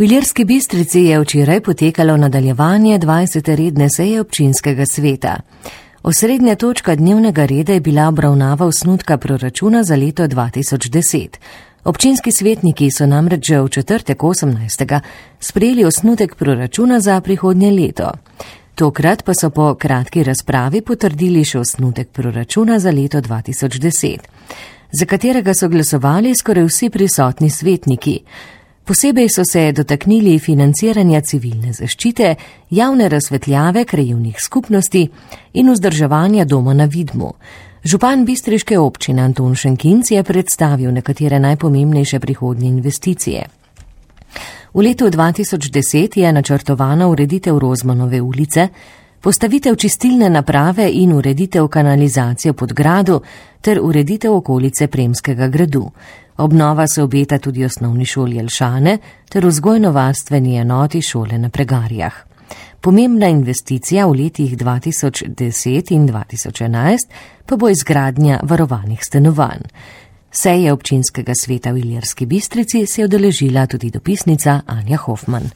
V Ilirski Bistrici je včeraj potekalo nadaljevanje 20. redne seje občinskega sveta. Osrednja točka dnevnega reda je bila obravnava osnutka proračuna za leto 2010. Občinski svetniki so namreč že v četrtek 18. sprejeli osnutek proračuna za prihodnje leto. Tokrat pa so po kratki razpravi potrdili še osnutek proračuna za leto 2010, za katerega so glasovali skoraj vsi prisotni svetniki. Posebej so se dotaknili financiranja civilne zaščite, javne razsvetljave krajevnih skupnosti in vzdrževanja doma na Vidmu. Župan bistriške občine Anton Šenkinc je predstavil nekatere najpomembnejše prihodnje investicije. V letu 2010 je načrtovana ureditev Rozmanove ulice, postavitev čistilne naprave in ureditev kanalizacije pod gradu ter ureditev okolice Premskega gradu. Obnova se obeta tudi osnovni šoli Jelšane ter vzgojno-varstveni enoti šole na Pregarjah. Pomembna investicija v letih 2010 in 2011 pa bo izgradnja varovanih stanovanj. Seje občinskega sveta v Ilirski Bistrici se je udeležila tudi dopisnica Anja Hofman.